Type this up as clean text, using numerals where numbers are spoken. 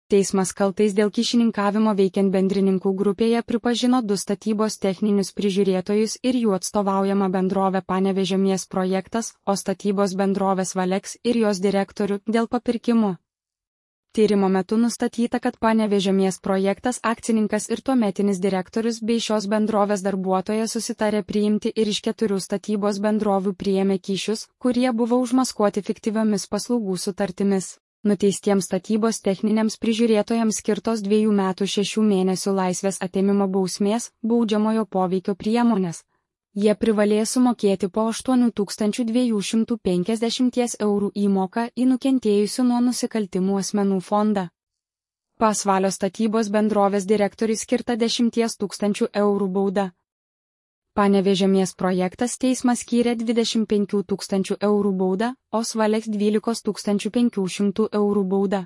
Teismas kaltais dėl kyšininkavimo veikiant bendrininkų grupėje pripažino 2 statybos techninius prižiūrėtojus ir jų atstovaujamą bendrovę Panevėžio Mies projektas, o statybos bendrovės Valex ir jos direktorių dėl papirkimų. Tyrimo metu nustatyta, kad Panevėžio Mies projektas akcininkas ir tuometinis direktorius bei šios bendrovės darbuotojas susitarė priimti ir iš 4 statybos bendrovių priėmė kyšius, kurie buvo užmaskuoti fiktyviomis paslaugų sutartimis. Nuteistiems statybos techniniams prižiūrėtojams skirtos 2 metų 6 mėnesių laisvės atėmimo bausmės, baudžiamojo poveikio priemonės. Jie privalės sumokėti po 8250 eurų įmoką į nukentėjusių nuo nusikaltimų asmenų fondą. Pasvalio statybos bendrovės direktoriui skirta 10 000 eurų bauda. Panevėžio Mies projektas teismas skyrė 25 000 eurų baudą, o Valex 12 500 eurų baudą.